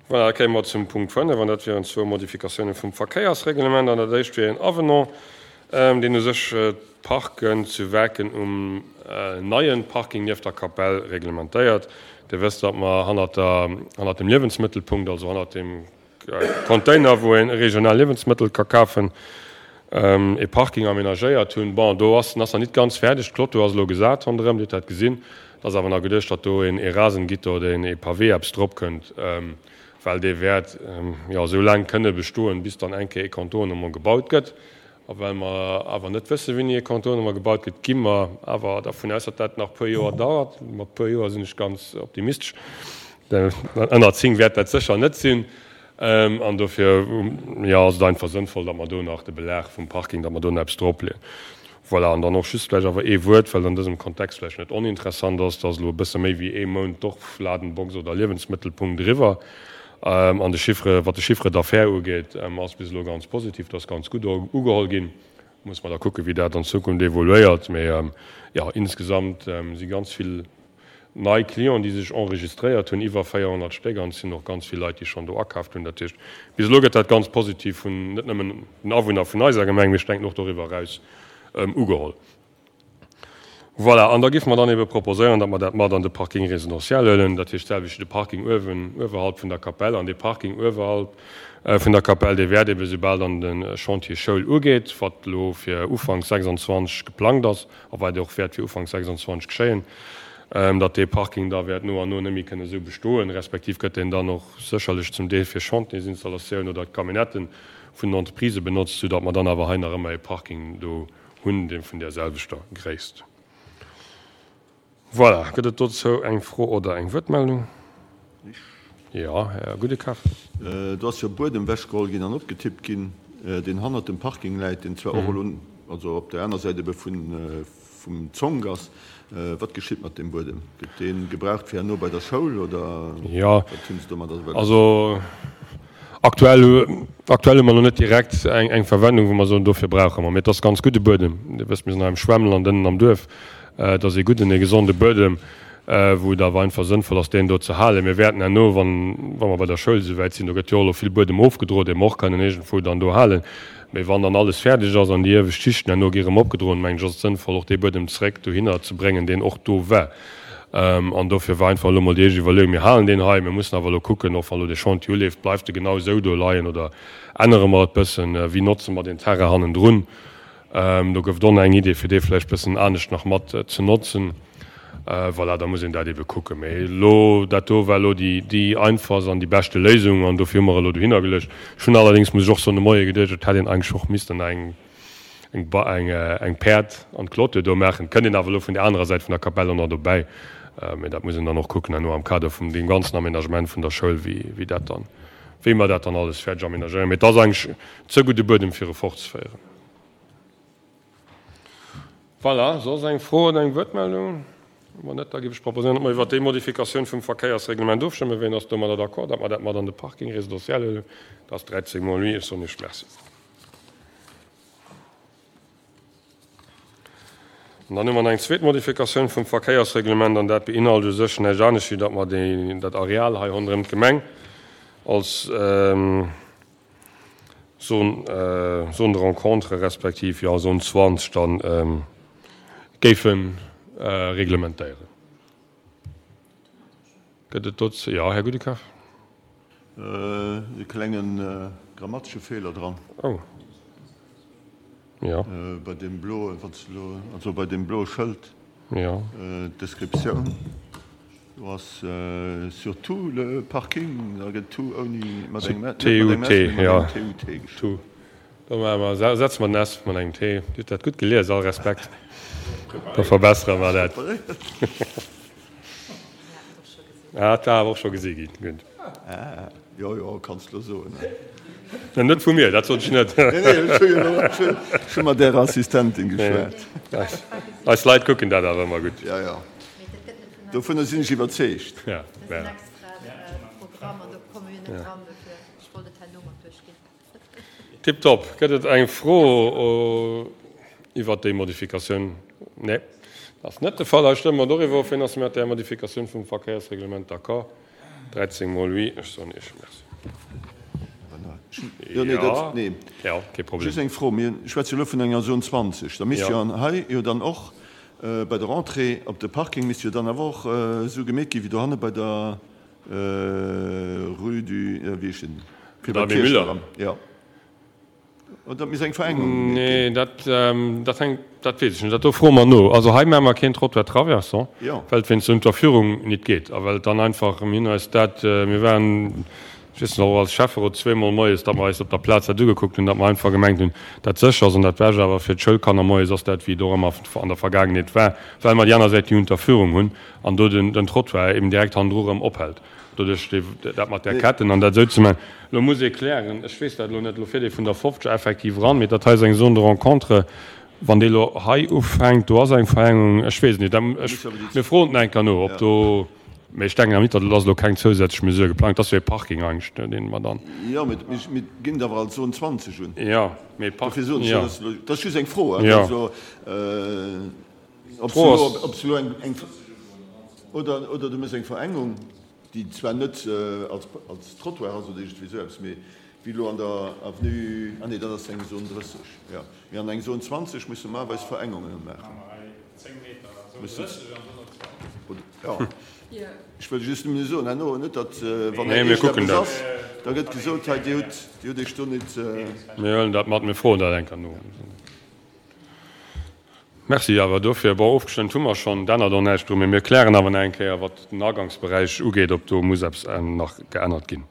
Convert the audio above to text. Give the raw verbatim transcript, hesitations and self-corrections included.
Voilà, da kéime mer zum Punkt fënnef, an dat wieren zwou Modifikatiounen vum Verkéiersreglement. An dat éischt wier en Avenant, deen u sech d'Parken zu Werken um neie Parking nieft der Kapell reglementéiert. Dir wësst, datt mer hannert der, hannert dem Liewensmëttelpunkt, also hannert dem Container, wou ee regional Liewensmëttel ka kafen, e Parking aménagéiert hunn. Bon, do ass, en ass nach nit ganz fäerdeg, d'Clôture ass elo gesat ronderëm, Dir hutt dat gesinn. Et ass awer nach geduecht, datt do een Rasengitter oder een Pavé eppes drop kënnt, well dee wäert jo esou laang kënne bestoen, bis dann eng Kéier e Contournement gebaut gëtt. A well mer awer net wëssen, wéini e Contournement gebaut gëtt, gi mer awer dervun aus, datt dat nach e puer Joer dauert. Mat puer Joer sinn ech ganz optimistesch. Ënner zéng wäert dat sécher net sinn. An dofir, jo, ass et einfach sënnvoll, datt mer do nach de Belag vum Parking, datt mer do nach eppes dropleeën. Voilà, an dann och just vläicht awer ee Wuert, well et an dësem Kontext vläicht net oninteressant ass, et ass elo e bësse méi wéi ee Mount Dorfladenbox oder Liewensmëttelpunkt eriwwer. An de Chiffre, wat de Chiffre d'affaires ugeet, ass bis elo ganz positiv, dat ass ganz gutt ugeholl ginn. Muss mer da kucken, wéi dat an Zukunft evoluéiert. Mee jo, insgesamt si ganz vill nei Clienten, déi sech enregistréiert hunn, iwwer véierhonnert Stéck, an et sinn och ganz vill Leit, déi schonn do akaaft hunn. Dat heescht, bis elo gëtt dat ganz positiv vun net nëmmen den Awunner vun eiser Gemeng, mee ech denken och doriwwer eraus ugeholl. Voilà, an da géife mer dann ebe proposéieren, datt mer dat mat an de Parking résidentiel huelen, dat heescht d'selwecht wéi de Parking uewen, uewerhalb vun der Kapell. An dee Parking uewerhalb vun der Kapell, dee wäert ebe soubal dann de Chantier Schoul ugeet, wat elo fir Ufanks sechsundzwanzeg geplangt ass a wat och wäert fir Ufanks sechsundzwanzeg geschéien, datt dee Parking da wäert no an no net méi kënne esou bestoen, respektiv gëtt deen dann och sécherlech zum Deel fir Chantiersinstallatioun oder d'Camionnetten vun den Entreprisë benotzt, soudatt mer dann awer hei nach ëmmer e Parking do hunn, dee vun där selwechter Gréisst. Voilà, gëtt et dozou eng Fro oder eng Wuertmeldung? Jo, Här Goudekar. Do ass jo Buedem ewechgeholl ginn an opgetippt ginn, deen hannert dem Parking läit, deen zwar och elo, also op der aner Säit ebe vun, vum Zonk ass. Wat geschitt mat deem Buedem? Gëtt dee gebraucht fir herno bei der Schoul oder wat hunn se domadder wëlles? Also aktuell, aktuell hu mer nach net direkt eng, eng Verwendung, wou mer soen, dofir brauche mer. Mee et ass ganz gudde Buedem. Dir wësst, mir sinn hei am Schwemmland ënnen am Duerf. Et ass ee gudden, ee gesonde Buedem, wou et awer einfach sënnvoll ass, deen do ze halen. Mir wäerten herno, wann, wa mer bei der Schoul esouwäit sinn, do gëtt jo och elo vill Buedem ofgedro, dee mer och kënnen iergendwou dann do halen. Mee wann dann alles fäerdeg ass an déi iewescht Schichten herno gi erëm opgedroen, mengen ech, ass et sënnvoll, och dee Buedem zeréck dohinner ze bréngen, deen och do war. An dofir war einfach elo mol déi éischt Iwwerleeung, mir halen deen hei, mir mussen awer elo kucken, och wann elo dee Chantier uleeft, bleift e genau esou do leien oder ännere mer et bëssen, wéi notze mer deen Terrain hannendrun? Do gouf et och nach eng Idee, fir dee vläicht bëssen anescht nach mat ze notzen. Voilà, da muss een dat ebe kucken. Mee elo, dat do war elo déi, déi einfachst an déi beschte Léisung an dofir hu mer elo dohinner geluecht. Ech hunn allerdéngs, muss ech och soen, de Moie geduecht, et hätt een eigentlech och missten eng, eng, eng, eng Päerd an d'Clôture do maachen. Kënnt een awer elo vun där anerer Säit vun der Kapell och nach dobäi. Mee dat muss een dann och kucken herno am Kader vum deem ganzen Aménagement vun der Schoul, wéi, wéi dat dann, wéi mer dat dann alles fäerdeg aménagéieren. Mee et ass eigentlech ze gudde Buedem, fir e fortzeféieren. Voilà, soss eng Fro oder eng Wuertmeldung? Wann net, da géif ech proposéieren, datt mer iwwert déi Modifikatioun vum Verkéiersreglement ofstëmmen. Wien ass domadder d'accord, datt mer dat mat an de Parking résidentiel huelen? Dat ass dräizéng mol oui. Ech soen Iech Merci. An dann hu mer nach eng zweet Modifikatioun vum Verkéiersreglement, an dat beinhalt u sech näischt anescht, wéi datt mer déi, dat Areal hei ronderëm d'Gemeng als Zone, Zone de rencontre respektiv, jo, Zone zwanzeg dann géife reglementéieren. Gëtt et dozou? Jo, Här Goudekar. E klenge grammatesche Feeler dran. Oh. Jo. Bei deem bloe, wann s de elo, also bei deem bloe Schëld. Jo. D'Descriptioun, do ass sur tout le parking, da gëtt tout ouni, mat engem, net mat engem S, mee mat engem T U T geschriwwen. Do maache mer, setze mer den S mat engem T. Dir hutt dat gutt gelies, all Respekt. Da verbessere mer dat. Ah, dat war awer och scho gesi ginn. Gutt. Jo, jo, kanns de elo soen. Net vu mir, dat sot ech net. Nee, nee, ech hu jo elo, ech hu mat Ärer Assistentin geschwat. Eis Leit kucken dat awer ëmmer gutt. Jo, jo, dovunner sinn ech iwwerzeegt. Ja, ja. Tiptop. Gëtt et eng Fro iwwert déi Modifikatioun? Nee, dat ass net de Fall. Da stëmme mer doriwwer of. Wien ass mat där Modifikatioun vum Verkéiersreglement d'accord? Dräizéng mol oui, ech soen Iech Merci. Jo, nee, dat, nee. Ja, kee Problem. Just eng Fro, Mir schwätze elo vun enger Zone zwanzeg. Da misst jo an hei jo dann och bei der Entrée op de Parking misst jo dann awer och esou gemeet gi wéi dohanne bei der Rue du, wéi heescht den, fir bei d'Kierch eran. Jo. Oder misst eng Verengung gemeet ginn? Nee, dat, dat hänkt, dat weess ech net. Dat do froe mer no. Also hei maache mer keen Trottoir traversant, well et wéinst der Unterführung nit geet a well et dann einfach, mir hunn eis dat, mir waren, ech weess nach, och als Schäfferot zweemol moies, datt mer eis op der Plaz dat ugekuckt hunn, datt mer einfach gemengt hunn, dat sécher ass an dat Bescht awer fir d'Schoulkanner moies ass dat, wéi et och ëmmer an der Vergaangenheet war, well mer déi aner Säit déi Unterführung hunn an do den, den Trottoir eben direkt hannendru erëm ophält. Doduerch déi, dat mat där Ketten an dat esou ze maachen. Elo muss ee klären, ech weess dat elo net, elo fiert ee vun der fofzeger effektiv eran, mee dat hei ass eng Zone de rencontre. Wann déi elo hei ufänkt, do ass eng Verengung, ech weess et net, dat, ech, mir froen et nach eng Kéier no, ob do, mee ech denken awer net, datt et ass elo keng zousätzlech Mesure geplangt, dat ass jo ee Parking eigentlech, dee mer dann. Jo, mee mir ginn et awer als Zone zwanzeg un. Jo, mee Park, Dofir soen ech, jo. dat ass elo, dat ass just eng Fro, hein, Jo. also, ob D'Fro se ass. elo, ob se elo eng, eng, oder, oder du méchs eng Verengung, déi zwar net als, als Trottoir ass oder iergendwéi esou eppes, mee wéi elo an der Avenue, ah nee, dat ass eng Zone drësseg, jo, mee an eng Zone zwanzeg muss normalerweis Verengungen maachen. Jo, ech wëll just nëmmen soen, herno, net datt, wann Nee, mir kucken iergendeppes dat. ass, da gëtt gesot, hei, Dir hutt, Dir hutt Iech do net. Mir huelen dat mat, mir froen dat eng Kéier no. Merci awer dofir. Bon, ofgestëmmt hu mer schonn, et ännert och näischt dru, mee mir klären awer nach eng Kéier, wat den Agangsberäich ugeet, ob do muss eppes nach geännert ginn.